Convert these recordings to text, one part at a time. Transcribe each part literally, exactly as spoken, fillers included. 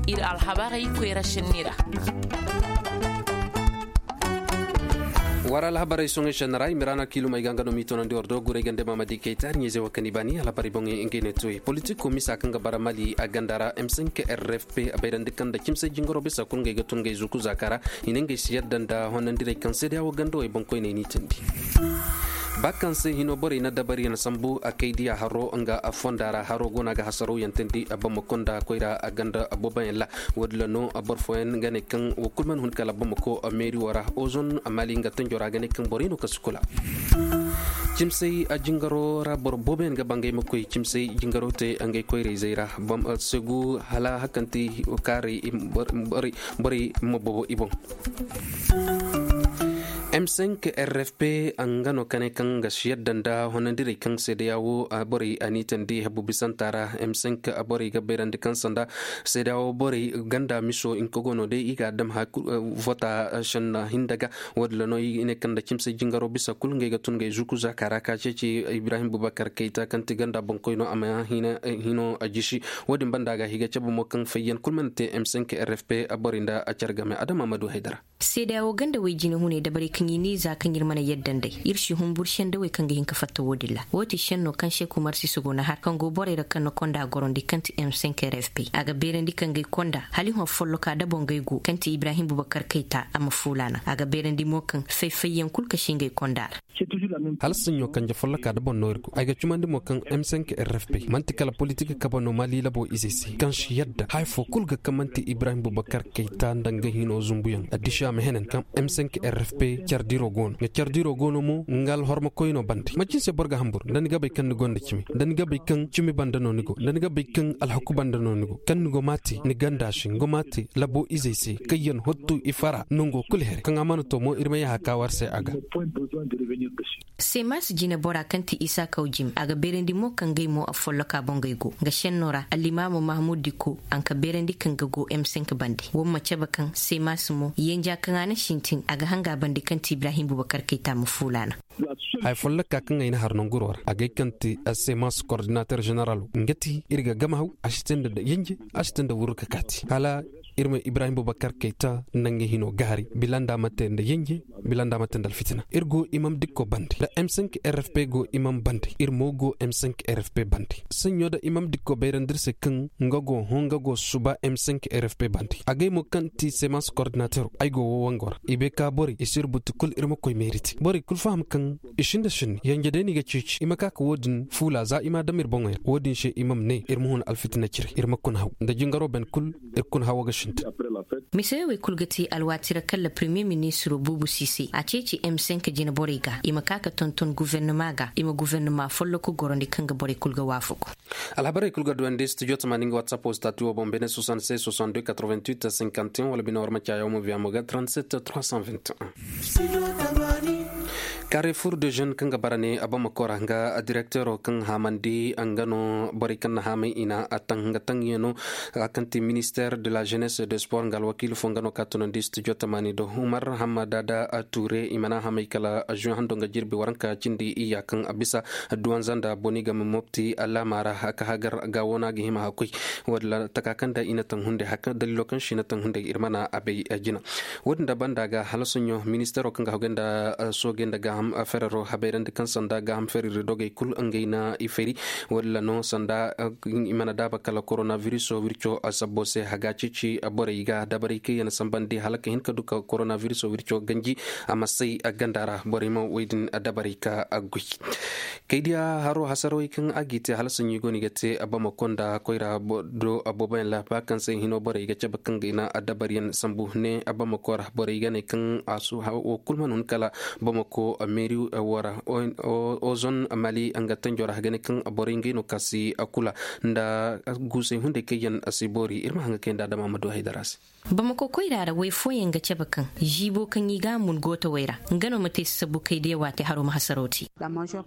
Iri alhabarey koyra senni ra. War alhabarey soŋey senni ra i ma raana kiilum ay ga nga no m'i toonandi war do guray gande maama di kay taari ɲeeze wo kaŋ i baani alhabarey boŋey ngey ne toy politiko misa kaŋ ga bara mali a ganda ra m cinq r f p a bayrandi kaŋ nda cimsay jingaro bisa kulu ngey ga tun ngey zuku zaaka ra. I ne ngey si yadda nda honandirey kaŋ seedeya wo ganda wo ay boŋkoyney n'i tindi. Ba kaŋ se hino borey na dabariyaŋ sambu a kay diya haro nga fonda ra haro go no a ga hasaraw yaŋ tindi a bamako nda koyra a ganda booboyaŋ ra. Wo- din ra no boro fooyaŋ ga ne kaŋ wo kulu mana hun kala bamako meeri wo ra ozon maali nga tanjo ra ga ne kaŋ borey no kaŋ si kula. Cimsay a jingaro ra boro booboyaŋ ga ba ngey ma koy cimsay jingaro te ngey koyrayzey ra. Segu hala hakanti kaaray borey ma bobo i boŋ. M cinq r f p nga no kane kaŋ ga si yadda nda honandirey kaŋ seedeya wo borey a n'i tandi habu bisanta ra. M cinq borey ga bayrandi kaŋ sanda seedeya wo borey ganda miso hinka go no day i ga a dam vota senna hinda ga. Wo- din ra no i ne kaŋ nda cimse jingaro bisa kulu ngey ga tun ngey zuku zaaka ra ka ceeci ibrahim bubakar kayta kaŋ ti ganda boŋkoy no a ma hino a jisi. Wo- din banda ga i ga cabe mo kaŋ fayyaŋ kulu mana te m cinq r f p borey nda a care game adama ma du haydara. Seedeya wo ganda way jine hunay dabarey kaŋ i ne za kaŋ iri mana yadda nd'ey iri si humburu sendawey kaŋ ga hin ka fatta wo- din ra wo- ti senno kaŋ se kumar si si go na har kaŋ go borey ra kaŋ na konda gorandi kaŋ ti m cinq r f p a ga beerandi kaŋ ga ay konda hala i hõ folloka da boŋ ga ay go kaŋ ti ibrahim bubakar kayta a ma fuula naŋ a ga beerandi mo kaŋ fay-fayyaŋ kulu ka si ngey konda ra. Hala saɲɲo kanje folloka da boŋ no iri go ay ga cumandi mo kaŋ m cinq r f p manti kala politik kabe no mali labo izey se kaŋ si yadda haya fo kulu ga kaŋ manti ibrahim bubakar kayta nda nga hino zumbuyaŋ addisi a ma henan kaŋ m cinq r f p care diro go no nga care diro go no mo nga alhorma koyno bande manci ni se boro ga hamburu nda ni ga bay kaŋ ni gonda cimi nda ni ga bay kaŋ cimi banda no ni go nda ni ga bay kaŋ alhaku banda no ni go kaŋ ni go ma te ni ganda se ni go ma te labo izey se kaŋ yaŋ hottu i fara nango kulu here kaŋ a mana to mo iri ma yaha ka war se a ga. Semas jine bora kaŋ ti isa kaw jim a ga beerandi mo kaŋ gay mo a folloka boŋ gay go nga senno ra allimaamo mahmud diko a nga beerandi kaŋ ga go m cinq bande wo ma cabe kaŋ semas mo yanja kaŋ a na sintin a ga hanga bande kaŋ ti ibrahim bubakar kayta ma fuula naŋ. Haya folloka kaŋ ay na har nanguro ra a gay kaŋ ti semas koordinater ženeral nga ti iri ga gama haw a si te nda yanje a si te nda wurru ka kaati hala iri ma ibrahim bubakar kayta nda nga hino gaari bila nda ma te nda yanje bila nda ma te nda alfitina iri go imam dikko bande nda m cinq r f p go imam bande iri mo go m cinq r f p bande saɲɲo nda imam dikko bayrandi iri se kaŋ nga go hõ nga go suba m cinq r f p bande a gay mo kaŋ ti semas koordinater ay go wo wango ra i bay ka borey i si iri buti kulu iri ma koy meeri te borey kulu faham kaŋ i sinda sinni yanje day no i ga ceeci i ma ka ka wo- din fuula za i ma a dam iri boŋey ra wo- din se i ma ma ne iri ma hun alfitina cire iri ma kuna haw nda jingaro bene kulu iri kuna hawo ga sintin. Mise wey kulu ga te alwaati ra kaŋ la premier ministro buubu si se a ceeci m cinq jine borey ga i ma ka ka tonton guvernama ga i ma guvernama folloku gorandi kaŋ ga borey kulu ga waafaku. Alhabarey kulu ga duwandi studio tamaani nga whatsapp wo stati wo boŋ bene soixante-seize soixante-deux quatre-vingt-huit cinquante et un wala bine war ma caayaw mo viya mo ga trente-sept trois cent vingt et un. Carrefour de jeune kaŋ ga bara ne abamako ra nga directero kaŋ haamandi nga no borey kaŋ na haamay i na a taŋ nga taŋ yaŋ no. Kaŋ ti minister de la jeunesse de sport nga alwakiila fo nga no ka tunandi studio tamaani do umar hammada da ture i mana haamay kala juin hando nga jirbi waranka cindi iyya kaŋ a bisa duwanza nda boni game mopti alaama ra ka hagar ga wo no a ga hima hakkoy. Wo- din ra taka kaŋ da i na taŋ hunday daliilo kaŋ se i na taŋ hunday iri mana a bay jina. Wo- din da banda ga hala soɲo ministero kaŋ ga hagay nda soogay nda gaaham ferero habayrandi kaŋ sanda gaaham feriri dogey kulu ngey na i fari. Wo- din ra no sanda i mana daaba kala korona viriso wirco sabbo se haga ceeci borey ga dabarey kaŋ yaŋ sambandi hala ka hin ka du ka korona viriso wirco ganji a ma say ganda ra borey ma wo- din dabarey ka goy. Kaydiya haro hasarawey kaŋ a g'i te hala sanɲo i go no i ga te bamako nda koyra do booboyaŋ ra ba kaŋ se hino borey ga cabe kaŋ ga i na addabaryaŋ sambu ne bamako ra borey ga ne kaŋ a su wo kulu mana hun kala bamako meeri wo ra. Ozon mali nga tanjo ra ga ne kaŋ borey ngey no ka si kula nda guusey hunday kaŋ yaŋ si boori iri ma hanga kay nda adama ma du haydara se. Bamako koyra ra way fooyaŋ ga cabe kaŋ ziibo kaŋ i ga a mun gootawey ra, nga no ma te sasabu kay diya waate haro ma hasaraw te.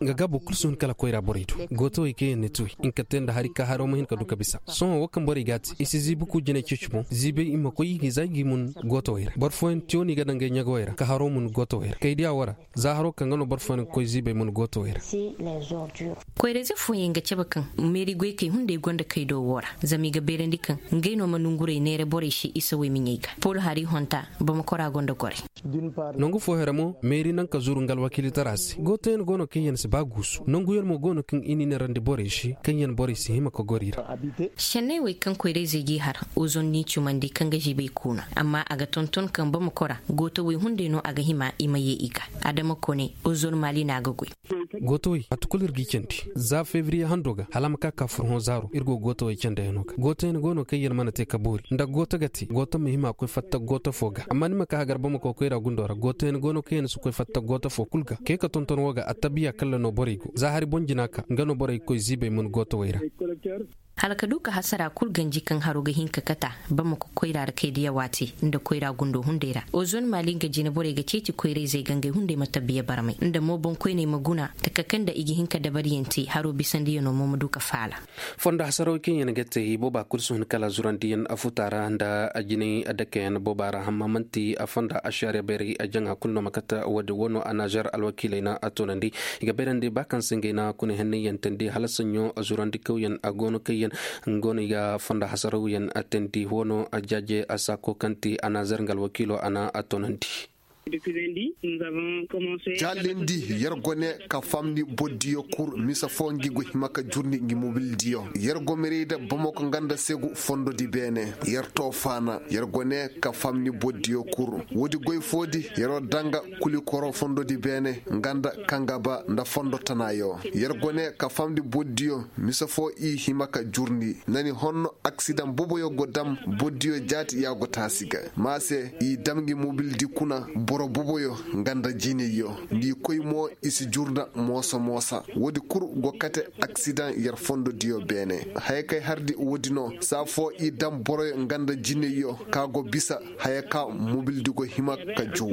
Nga gaabo kulu si hun kala koyra borey do. Gootawey kaŋ yaŋ ni tuwey hinka te nda hari ka haro ma hin ka du ka bisa. Sohõ wo kaŋ borey ga a te i si ziibi ku jinay ceeci boŋ ziibey i ma koy i ga i za i g'i mun gootawey ra. Boro fooyaŋ tiyo no i ga daŋ ngey ɲagawey ra ka haro mun gootawey ra kay diya wo ra. Za haro kaŋ ga no boro fooyaŋ ga koy ziibey mun gootawey ra. Koyrayze fooyaŋ ga cabe kaŋ meeri goykey hunday gonda kay do wo ra, zama i ga beerandi kaŋ ngey no ma nongurey neera borey se isawey miɲey ga pol hari honta. Bamako ra gonda gorey. Nangu fo here mo meeri naŋ ka zuru nga alwakiilitara se gootoyaŋ go no kaŋ yaŋ si ba guusu nanguyaŋ mo go no kaŋ i n'i neerandi borey se kaŋ yaŋ borey si hima ka goro i ra. Senney wey kaŋ koyrayzey g'i har, ozon n'i cumandi kaŋ ga ziibay kuuna, amma a ga tonton kaŋ bamako ra gootawey hunday no a ga hima i ma ye i ga. Adama kone, ozon maali no a ga goy. Gootawey waati kulu iri g'i candi za febriye hando ga hala a ma ka ka furhõ zaaro iri go gootawey candayano ga gootoyaŋ go no kaŋ yaŋ mana te ka boori nda gooto ga te gooto ma hima a koy fatta gooto fo ga amma ni ma ka hagar bamako koyra gundo ra gootoyaŋ go no kaŋ yaŋ si koy fatta gooto fo kulu ga kay ka tonton wo ga attabiya kalla no borey go za hari boŋ jina ka nga no borey ga koy ziibay mun gootawey ra. Hala ka du ka hasara kulu ganji kaŋ haro ga hin ka kata, bamako koyra ra kay diya waate nda koyra gundo hunday ra ozon maali nga jine borey ga ceeci koyrayzey ga ngey hunday ma tabbiya barmay nda mo boŋkoyney ma guna taka kaŋ nda i ga hin ka dabariyaŋ te haro bisandiyano mo ma du ka faala. Fondo hasaraw kaŋ yaŋ ga te i booba kulu si hun kala zurandiyaŋ afuta ra nda ajinay adakayaŋ booba ra amma manti a fonda ashariya bayray a jaŋa kulu no ma kata wo- din wo no a nazer alwakiiley na a toonandi. I ga bayrandi ba kaŋ se ngey na kuna henney yantandi hala saɲɲo zurandi kawyaŋ a go no kaŋ yaŋ go no i ga fonda hasarawyaŋ a teendi wo no a jaaje a saako kaŋ ti a nazer nga alwakiilo a na a toonandi. Jaalindi yer gone ka famni boddiyo kul misa fo ngi go hima ka jurndi ngi mobildiyo yer go merida bamako nga nda segu fondodi beene yer to faana yer gone ka famni boddiyo kul woodi goy foodi yer wo danga kuli koro fondodi beene nga nda kangaba nda fondo tanayo yer gone ka famni boddiyo misa fo i hima ka jurndi nani honno aksidaŋ boboyo go dam boddiyo jaati ya go taasi ga ma se i dam ngi mobildi kuna boro boboyo nga nda jinayyo ngi koy mo i si jurda mooso moosa woodi kul go kate aksidaŋ yer fondo diyo beene haya kay hardi woodi no saa fo i dam boroyo nga nda jinayyo ka go bisa haya ka mobildi go hima ka juu.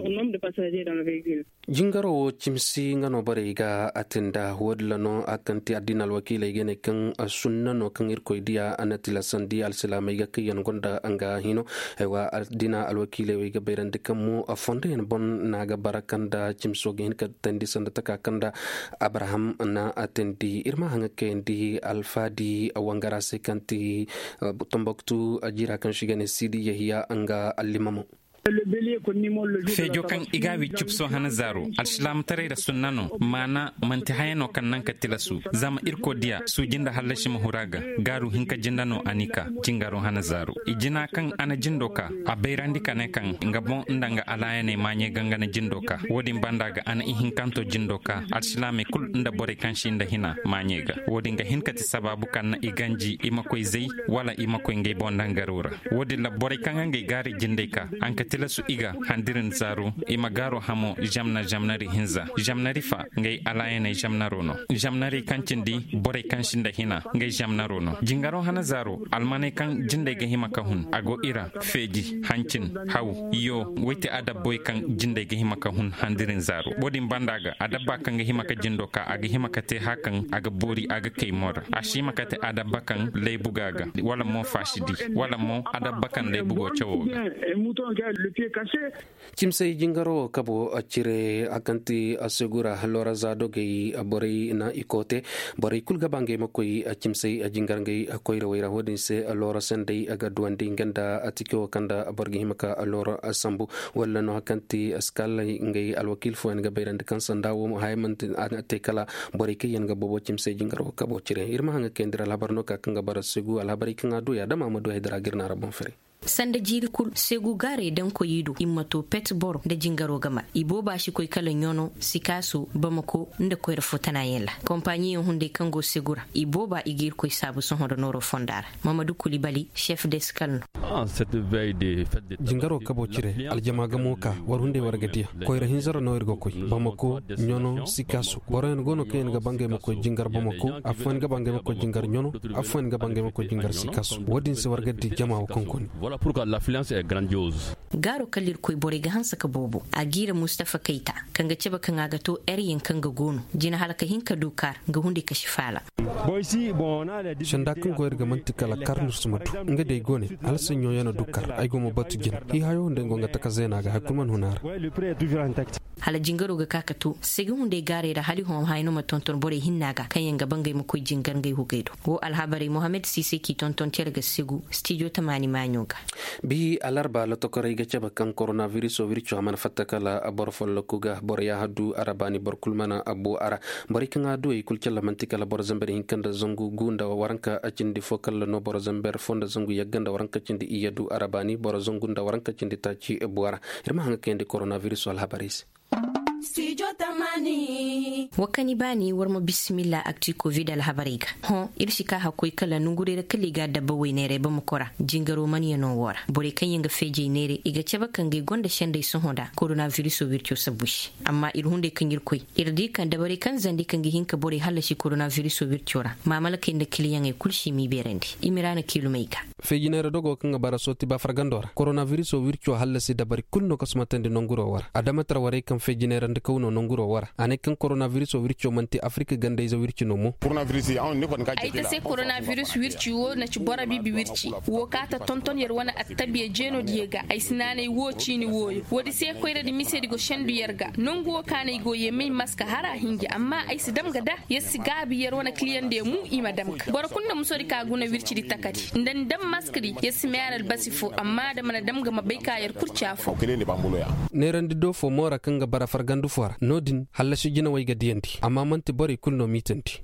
Jingaro wo cimsi nga no borey ga a te nda wo- din ra no a kaŋ te addiina alwakiiley ga ne kaŋ sunna no kaŋ irkoy diya a na tilasandi alsilaamey ga kaŋ yaŋ gonda nga hino. Aywa addiina alwakiiley wo i ga bayrandi kaŋ mo a fondo yaŋ boŋ no a ga bara kaŋ nda cimso ga hin ka teendi sanda taka kaŋ nda abraham na a teendi iri ma haŋ ga kayandi alfaadi wangara se kaŋ ti tomboktu jiira kaŋ se i ga ne siidi yahiya nga allimamo. Feejo kaŋ i ga a wi cupso hana zaaro alsilaamataray ra sunna no maana manti haya no kaŋ naŋ ka tilasu zama irkoy diya suuji nda hallasi ma huru a ga gaaru hinka jinda no a n'i ka jingaro hana zaaro i jina kaŋ a na jindo ka a bayrandi ka ne kaŋ nga boŋ nda nga alaayaney maaɲey ga nga na jindo ka wo- din banda ga a na ihinkanto jindo ka alsilaamey kulu nda borey kaŋ si nda hina maaɲey ga wo- din ga hin ka ti sabaabu kaŋ na i ganji i ma koy zay wala i ma koy ngey boŋ dangaro ra wo- din ra borey kaŋ ga ngey gaaray jindey ka a na ka tilasu i ga handiri nda zaaro i ma gaaro hamo zamna zamnari hinza zamnari fa ngey alaayaney zamnaro no zamnari kaŋ cindi borey kaŋ si nda hina ngey zamnaro no jingaro hana zaaro almaney kaŋ jindey ga hima ka hun a go i ra feeji hancin haw yo woy ti adabboy kaŋ jindey ga hima ka hun handiri nda zaaro wo- din banda ga adabba kaŋ ga hima ka jindo ka a ga hima ka te hã kaŋ a ga boori a ga kay mo ra a si hima ka te adabba kaŋ laybu ga ga wala mo faasidi wala mo adabba kaŋ laybu go cawo ga. Cimsey jingaro wo kabo cire a kaŋ ti a segura loraza dogey borey na i koote borey kulu ga ba ngey ma koy cimsey jingar ngey koyrawey ra wo- din se loora sendey ga duwandi nga nda a tike wo kaŋ nda boro ga hima ka loora sambu wala no a kaŋ ti a si kaalay ngey alwakiil fooyaŋ ga bayrandi kaŋ sanda wo mo haya manti a te kala borey kaŋ yaŋ ga boobo cimsey jingar wo kabo cire iri ma haŋ ga kayandi ra alhabar no ka kaŋ ga bara segu alhabarey kaŋ a du yaadama ma du haydara ga iri na ra boŋ fere. Sanda jiiri kulu segu gaaray daŋ koy i do i ma to pet boro nda jingaro ga mar i booba si koy kala ɲono sikaaso bamako nda koyra fo tana yaŋ ra kompaɲiyaŋ hunday kaŋ go segu ra i booba i ga irkoy saabu sohõ nda nooro fonda ra. Mamadu kulibali chef de skal no. Jingaro kabo cire aljama ga mo ka war hunday war ga diya koyra hinza ra no iri ga koy bamako ɲono sikaaso boro yaŋ go no kaŋ yaŋ ga ba ngey ma koy jingar bamako afooyaŋ ga ba ngey ma koy jingar ɲono afooyaŋ ga ba ngey ma koy jingar sikaaso wo- din se war ga di jama wo kaŋ koni. Gaaro kaŋ irkoy borey ga hanse ka boobo a jiira mustafa kayta, kaŋ ga cabe kaŋ a ga to ere yaŋ kaŋ ga goono jina hala ka hin ka du kaar, nga hunday kasi faala. Sanda kaŋ go iri ga manti kala kaar nirsu ma du nga day go ne, hala saɲɲo yaŋ a du kaar ay go ma batu jina. Hiihayo hunday go nga taka zeena ga hari kulu mana hun a ra. Hala jingaro ga ka ka to segi hunday gaaray ra hala i hõ haya no ma tonton borey hinna ga kaŋ yaŋ ga ba ngey ma koy jingar ngey hugey do. Wo alhabarey mohammed siise k'i tonton cere ga segu stijo tamaani maaɲo ga. Bi alarba lotokorey ga cabe kaŋ koronabiriso wirco a mana fatta kala boro folloku ga boro yaaha du a ra baani boro kulu mana bu a ra. Borey kaŋ a du i kulu calla manti kala boro zamber hinka nda zangu gu nda waranka cindi fo kala no boro zamber fo nda zangu yagga nda waranka cindi iyye du a ra baani boro zangu nda waranka cindi taaci bu a ra. Iri ma haŋ ga kayandi koronabiriso alhabarey se. Wa kani baani war ma bisimilla akti kovid alhabarey ga. Hõ iri si ka hakkoy kala nongurey ra kala i ga dabba wayneerey ba ma kora jingaro mana yano wo ra borey kaŋ yaŋ ga feejey neere i ga cabe kaŋ ga i gonda sendey sohõ nda koronabiriso wirco sabbu se. Amma iri hunday kaŋ iri koy iri di kaŋ dabarey kaŋ zandi kaŋ ga hin ka borey hallasi koronabiriso wirco ra maamalakey nda kiliyaŋey kulu si m'i beerandi. Imiraana kiilumey ga. Feeji neera dogo kaŋ ga bara sooti ba fargando ra koronabiriso wirco hallasi dabari kulu no ga sumatandi nonguro wo ra adama tarwarey kaŋ feeji neera nda kaw no nonguro wo ra a ne kaŋ koronabiriso wirco manti afirika gandayze wirci no mo. Ay ta se koronabiriso wirci wo na ci boro biibi wirci wo ka ta tonton yer wane attabiya jeeno diya ga ay si naanay wo ciini wooyo wo- di se koyra di mise di go sendu yer ga nongu wo ka no ay go ye may maska hara hinja amma ay si dam ga da yer si gaabi yer wane kiliyan diya mu i ma dam ga boro kulu nda muso di ka guna wirci di takari nda ni dam maska di yer si may a ra albasi fo amma da mana dam ga ma bay ka yer kurca fo. Neerandi do fo moora kaŋ ga bara fargandu fo ra no- din hallasi jinawey ga diyandi amma manti borey kulu no miitandi.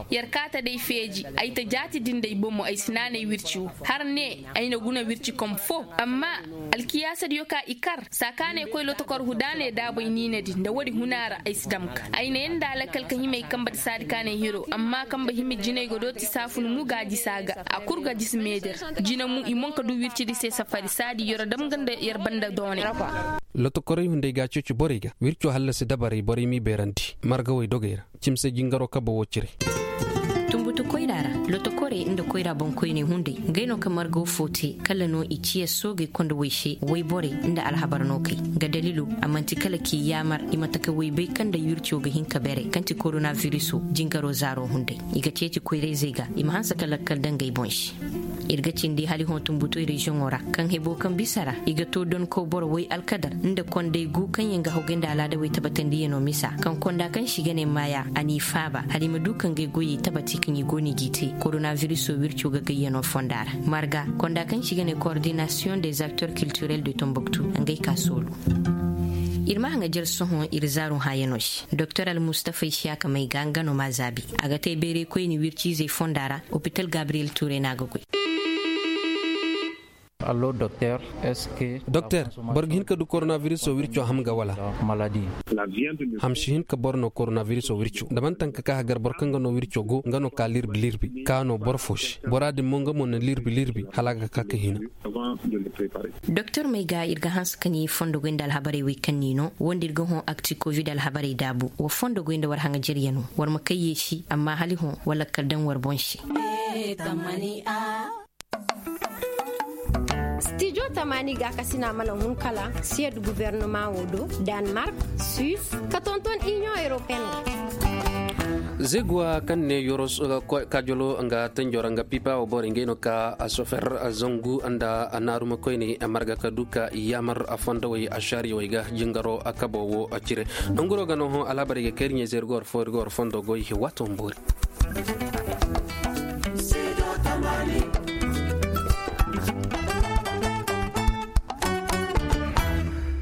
Yer kaata day feeji ay ta jaati din day bomo ay si naanay wirci wo har ne ay na guna wirci kom fo amma alkiyaasa diyo ka i kar saakaanay koy lotokor hudaanay daabay niina din nda wo- di huna ra ay si dam ga ay na yanda lakkal ka hima ay kamba di saadi kaanay hiro amma kamba hima jinay ga dooti saafun mu ga a jisa ga a kulu ga jisi meeder jina mu i monka du wirci di se safari saadi yoro dam ga nda yer banda doonay. Lotokorey hunday ga a ceeci borey ga wirco hallasi dabarey borey m'i beerandi margawey dogey ra cimse jingaro kabe wo cire. Tumbutu koyra ra lotokorey nda koyra boŋkoyney hunday ngey no ka margaw fo te kala no i ciya soogey konda way se wayborey nda alhabar no kay nga daliilo a manti kala k'i yaamar i ma taka waybay kaŋ nda wirco ga hin ka beeray kaŋ ti koronabiriso jingaro zaaro hunday i ga ceeci koyrayzey ga i ma hanse ka lakkal daŋ ngey boŋ se. Iri ga cindi hala i hõ tumbutoy reziyoŋo ra kaŋ hebo kaŋ bisa ra i ga to donko boro way alkadar nda kondey gu kaŋ yaŋ ga hawgay nda alaadawey tabatandiyano misa kaŋ konda kaŋ si ga ne maaya a n'i faaba hala i ma du ka ngey goyey tabati kaŋ i go no i g'i te koronabiriso wirco ga gayyano fonda ra marga konda kaŋ si ga ne koordinasiyoŋ des acteurs culturels de tomboktu ngey ka soolu. Iri ma haŋajer sohõ iri zaaru hayano se doktor almustafa isiyaka may ga nga no ma zaabi a ga te bayray koyne wirciizey fonda ra. Opital gabriyel tuure no a ga goy. Doktor, boro ga hin ka du koronabiriso wirco ham ga wala? Ham si hin ka boro no koronabiriso wirco da manti haŋ ka ka hagar boro kaŋ ga no wirco go nga no ka lirbi lirbi ka no boro fo se bora din mo nga mo na lirbi lirbi hala a ga ka ka hina. Doktor may ga iri ga hanse ka ni fondo goy nda alhabarey wey kaŋ ni no wo nda iri ga hõ akti kovid alhabarey daabu wa fondo goy nda war haŋajeryano war ma kay yeesi amma hala i hõ wala kala daŋ war boŋ se. Stijo tamaani gaakasina mana hun kala siyad gubernama wo do danmark, suisse ka tonton union européenne. Zeguwa kaŋ ne yoros kajolo nga tanjora nga pipa wo boro ngey no ka sofer zangu nda naaruma koyne marga ka du ka yaamar fondowey ashariyowey ga jingaro kabo wo cire. Nanguro ga no hõ alhabarey ga kayri ɲey zeeri ga war fo iri ga war fondo goy waato ma boori.